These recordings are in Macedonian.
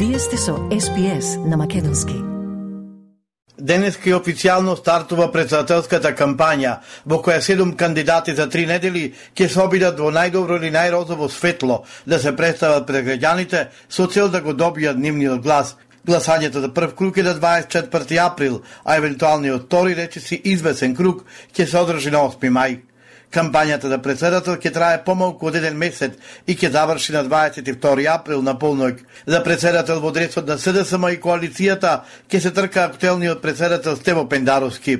Вие сте со SPS на македонски. Денеска и официјално стартува председателската кампања, во која 7 кандидати за 3 недели ќе се обидат во најдобро или најрозово светло да се представат пред граѓаните со цел да го добијат нивниот глас. Гласањето за прв круг е на 24 април, а евентуалниот втори речиси извесен круг ќе се одржи на 8 мај. Кампањата за председател ќе трае помалку од 1 месец и ќе заврши на 22 април на полноќ. За председател во дресот на СДСМ и коалицијата ќе се трка актуелниот председател Стево Пендаровски.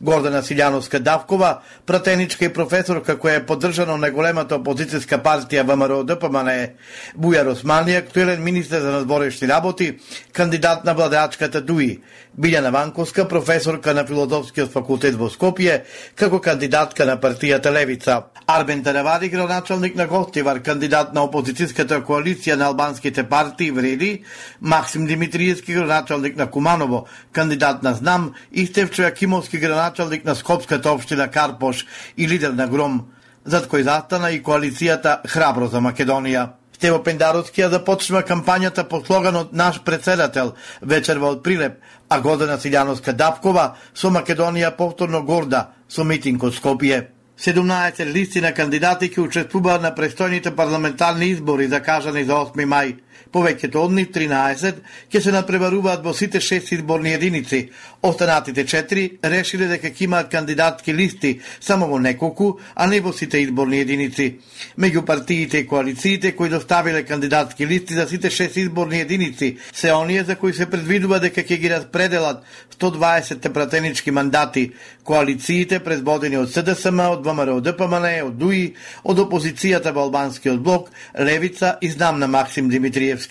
Гордана Силјановска-Давкова, пратеничка и професорка која е поддржана на големата опозицијска партија ВМРО-ДПМНЕ, Бујар Османи, актуелен министер за надворешни работи, кандидат на владеачката ДУИ, Билјана Ванковска, професорка на Филозофскиот факултет во Скопје, како кандидатка на партијата Левица. Арбен Таравади, градоначалник на Гостивар, кандидат на опозицијската коалиција на албанските партии Вреди, Максим Димитриевски, градоначалник на Куманово, кандидат на Знам, и Стефчо Јакимовски, градоначалник на Скопската општина Карпош и лидер на Гром, зад кој застана и коалицијата Храбро за Македонија. Стево Пендаровски ја започнува кампањата по слоганот Наш председател, вечерва од Прилеп, а Гордана Силјановска-Давкова со Македонија повторно горда со митинг од Скопје. 17 листи на кандидати ќе учествуваат на престојните парламентарни избори закажани за 8 мај. Повеќето од нив, 13, ќе се надпреваруваат во сите 6 изборни единици. Останатите 4 решиле дека ќе имаат кандидатски листи само во неколку, а не во сите изборни единици. Меѓу партиите и коалициите кои доставиле кандидатски листи за сите 6 изборни единици се оние за кои се предвидува дека ќе ги распределат 120 пратенички мандати. Коалициите предводени од СДСМ, од ВМРО-ДПМНЕ, од ДУИ, од опозицијата во албанскиот блок, Левица и Знам на Максим Димитриевски.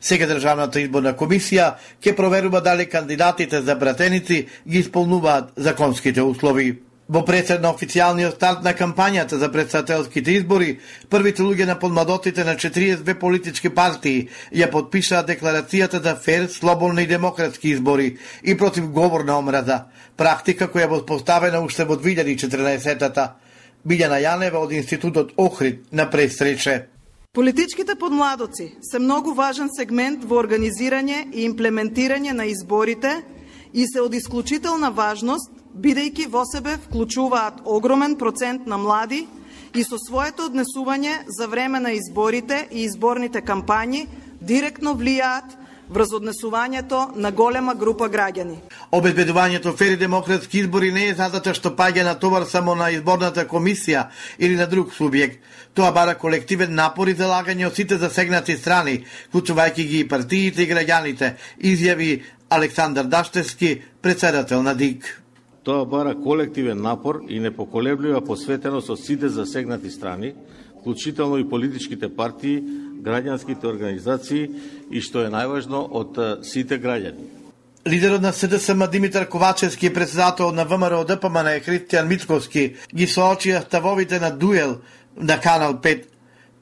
Сега Државната изборна комисија ќе проверува дали кандидатите за пратеници ги исполнуваат законските услови. Во пресед на официјалниот старт на кампањата за председателските избори, првите луѓе на подмладоците на 42 политички партии ја подпишаа декларацијата за фер, слободни и демократски избори и против говор на омраза, практика која е воспоставена уште во 2014-та. Билјана Јанева од Институтот Охрид на пресрече. Политичките подмладоци се многу важен сегмент во организирање и имплементирање на изборите и се од исклучителна важност, бидејќи во себе вклучуваат огромен процент на млади и со своето однесување за време на изборите и изборните кампањи директно влијаат врз однесувањето на голема група граѓани. Обезбедувањето фери демократски избори не е задача што паѓа на товар само на изборната комисија или на друг субјект. Тоа бара колективен напор и залагање од сите засегнати страни, вклучувајќи ги и партиите и граѓаните, изјави Александар Даштевски, председател на ДИК. Тоа бара колективен напор и непоколеблива посветеност од сите засегнати страни, вклучително и политичките партии, граѓанските организации и, што е најважно, од сите граѓани. Лидерот на СДСМ Димитар Ковачевски и председател на ВМРО-ДПМНЕ Христијан Мицковски ги соочија ставовите на дуел на Канал 5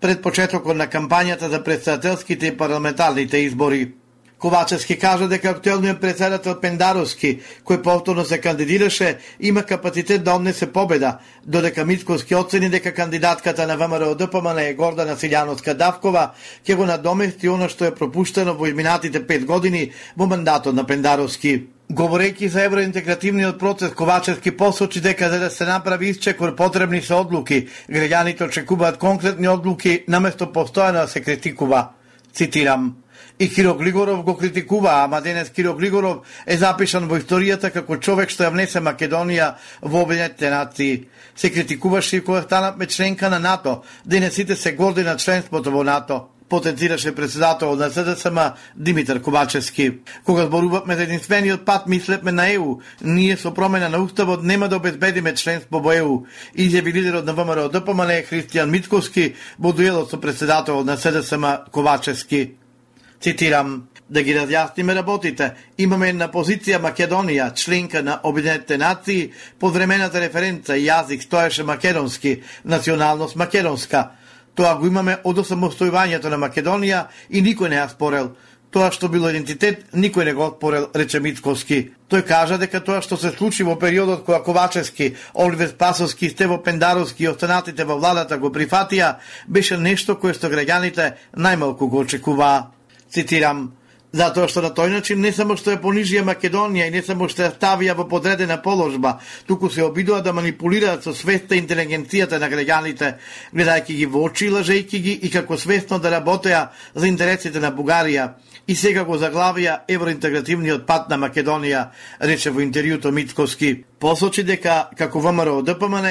пред почетокот на кампањата за председателските и парламентарните избори. Ковачевски кажа дека актуелниот председател Пендаровски, кој повторно се кандидираше, има капацитет да однесе победа, додека Мицковски оцени дека кандидатката на ВМРО-ДПМНЕ Гордана Силјановска-Давкова ќе го надомести она што е пропуштено во изминатите 5 години во мандатот на Пендаровски. Говорејќи за евроинтегративниот процес, Ковачевски посочи дека за да се направи исчекор потребни се одлуки, граѓаните очекуваат конкретни одлуки наместо постојано да се критикува. Цитирам: И Киро Глигоров го критикува, ама денес Киро Глигоров е запишан во историјата како човек што ја внесе Македонија во Обединетите нации. Се критикуваше и кога станавме членка на НАТО, денес сите се горди на членството во НАТО, потенцираше председател на СДСМ Димитар Ковачевски. Кога зборувавме за единствениот пат, мислевме на ЕУ. Ние со промена на уставот нема да обезбедиме членство во ЕУ, изјави лидерот на ВМРО-ДПМНЕ Христијан Мицковски во дуелот со председател на СДСМ Ковачевски. Цитирам: да ги разјасниме работите. Имаме една позиција Македонија, членка на Обединетите нации, повремената референца и јазик стоеше македонски, националност македонска. Тоа го имаме од осамостојувањето на Македонија и никој не ја спорел. Тоа што било идентитет, никој не го спорел, рече Мицковски. Тој кажа дека тоа што се случи во периодот кога Ковачевски, Оливер Спасовски, Стево Пендаровски и останатите во владата го прифатија, беше нешто кое што граѓаните најмалку го очекуваа. Цитирам: затоа што на тој начин не само што ја понижија Македонија и не само што ја ставија во подредена положба, туку се обидува да манипулираат со свеста и интелигенцијата на граѓаните, гледајќи ги во очи, лажејќи ги и како свесно да работеа за интересите на Бугарија. И сега го заглавија евроинтегративниот пат на Македонија, рече во интервјуто Мицковски. Посочи дека, како ВМРО ДПМН,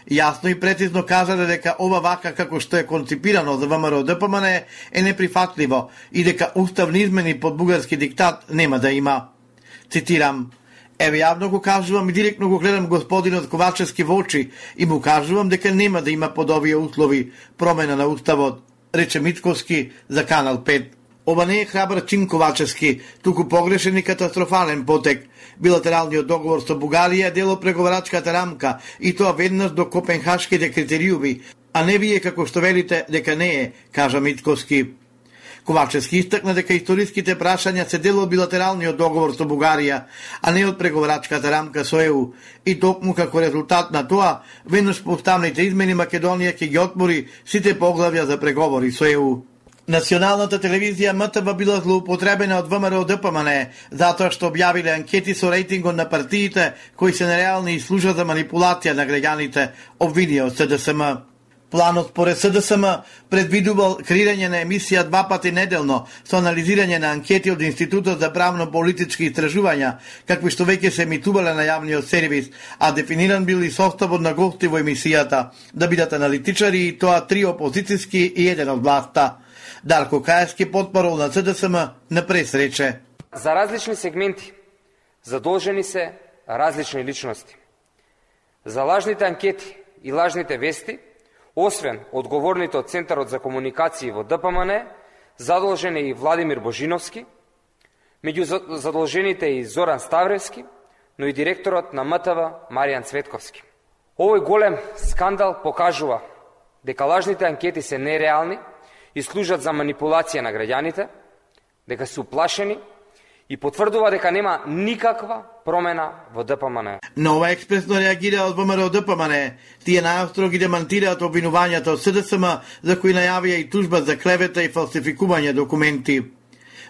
јасно и прецизно кажале дека ова вака како што е конципирано за ВМРО ДПМН е неприфатливо и дека уставни измени под бугарски диктат нема да има. Цитирам: еве јавно го кажувам и директно го гледам господинот Ковачевски во очи и му кажувам дека нема да има под овие услови промена на уставот, рече Мицковски за Канал 5. Ова не е храбар чин Ковачевски, туку погрешен и катастрофален потек. Билатералниот договор со Бугарија е дел од преговарачката рамка и тоа веднаш до копенхашките критериуми, а не вие како што велите дека не е, кажа Мицковски. Ковачевски истакна дека историските прашања се дел од билатералниот договор со Бугарија, а не од преговарачката рамка со ЕУ, и токму како резултат на тоа, веднаш по уставните измени Македонија ќе ги отвори сите поглавја за преговори со ЕУ. Националната телевизија МТВ била злоупотребена од ВМРО ДПМН затоа што објавиле анкети со рейтингот на партиите кои се нереални и служат за манипулација на граѓаните, обвинија од СДСМ. Планот според СДСМ предвидувал креирање на емисија 2 пати неделно со анализирање на анкети од Институтот за правно-политички истражувања, какви што веќе се емитувале на јавниот сервис, а дефиниран бил и составот на гости во емисијата, да бидат аналитичари и тоа 3 опозицијски и 1 од власта. Дарко Каевски, потпарол на СДСМ, на прес рече: за различни сегменти задолжени се различни личности. За лажните анкети и лажните вести, освен одговорните од Центарот за комуникации во ДПМН, задолжен е и Владимир Божиновски, меѓу задолжените и Зоран Ставревски, но и директорот на МТВ Маријан Цветковски. Овој голем скандал покажува дека лажните анкети се нереални и служат за манипулација на граѓаните, дека се уплашени и потврдува дека нема никаква промена во ДПМН. На ова експресно реагира од ВМРО ДПМН. Тие најостро ги демантираат обвинувањата од СДСМ, за кои најавија и тужба за клевета и фалсификување документи.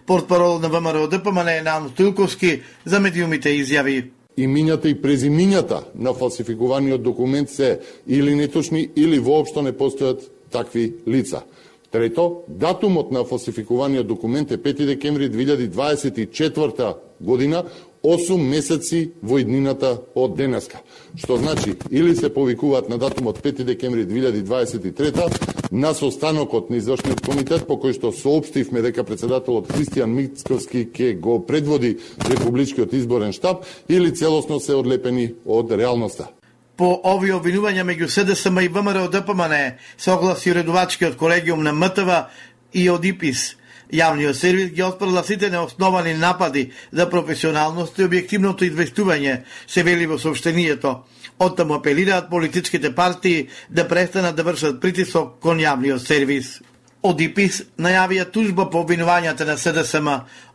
Портпарол на ВМРО ДПМН Наум Стилковски за медиумите изјави: имињата и презимињата на фалсификуваниот документ се или неточни или воопшто не постојат такви лица. Трето, датумот на фалсификуваниот документ е 5 декември 2024 година, 8 месеци во иднината од денеска. Што значи, или се повикуваат на датумот 5 декември 2023 на состанокот на извршниот комитет, по кој што соопштивме дека председателот Христијан Мицковски ќе го предводи Републичкиот изборен штаб, или целосно се одлепени од реалноста. По овие обвинувања меѓу СДСМ и ВМРО ДПМН се огласи уредувачкиот колегиум на МТВ и од ИПИС. Јавниот сервис ги отпрла сите неосновани напади за професионалност и објективното известување, се вели во соопштението. Оттаму апелираат политичките партии да престанат да вршат притисок кон јавниот сервис. Од ИПИС најавија тужба по обвинувањата на СДСМ.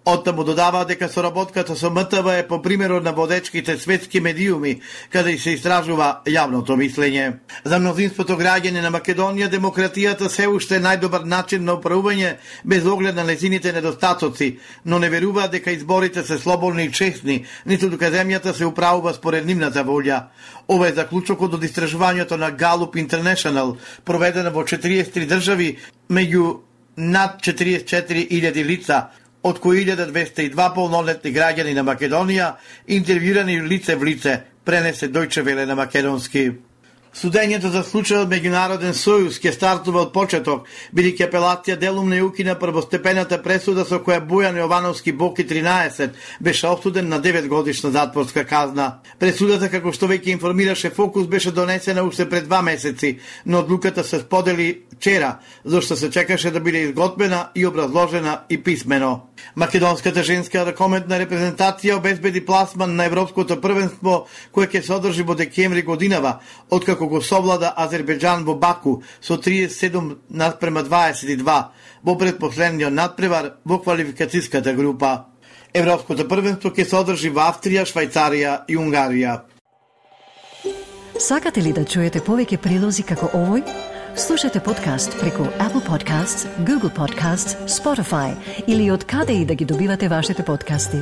Оттаму додава дека соработката со МТВ е по примерот на водечките светски медиуми, каде се истражува јавното мислење. За мнозинството граѓани на Македонија, демократијата се уште е најдобар начин на управување без оглед на нејзините недостатоци, но не веруваат дека изборите се слободни и честни, ниту дека земјата се управува според нивната волја. Ова е заклучокот од истражувањето на Gallup International, проведено во 43 држави, меѓу над 44.000 лица, од кои 1202 полнолетни граѓани на Македонија, интервјуирани лице в лице, пренесе Дојче Веле на македонски. Судењето за случајот Меѓународен сојуз ќе стартува од почеток, бидејќи апелација делум не укина првостепената пресуда со која Бојан Јовановски Боки 13 беше осуден на 9 годишна затворска казна. Пресудата, како што веќе информираше Фокус, беше донесена уште пред 2 месеци, но одлуката се сподели вчера, зашто се чекаше да биде изготвена и образложена и писмено. Македонската женска ракометна репрезентација обезбеди пласман на Европското првенство, кое ќе се одржи во декември годинава, откако го совлада Азербејџан во Баку со 37:22 во предпоследниот надпревар во квалификацијската група. Европското првенство ќе се одржи во Австрија, Швајцарија и Унгарија. Сакате ли да чуете повеќе прилози како овој? Слушате подкаст преку Apple Podcasts, Google Podcasts, Spotify или од каде и да ги добивате вашите подкасти.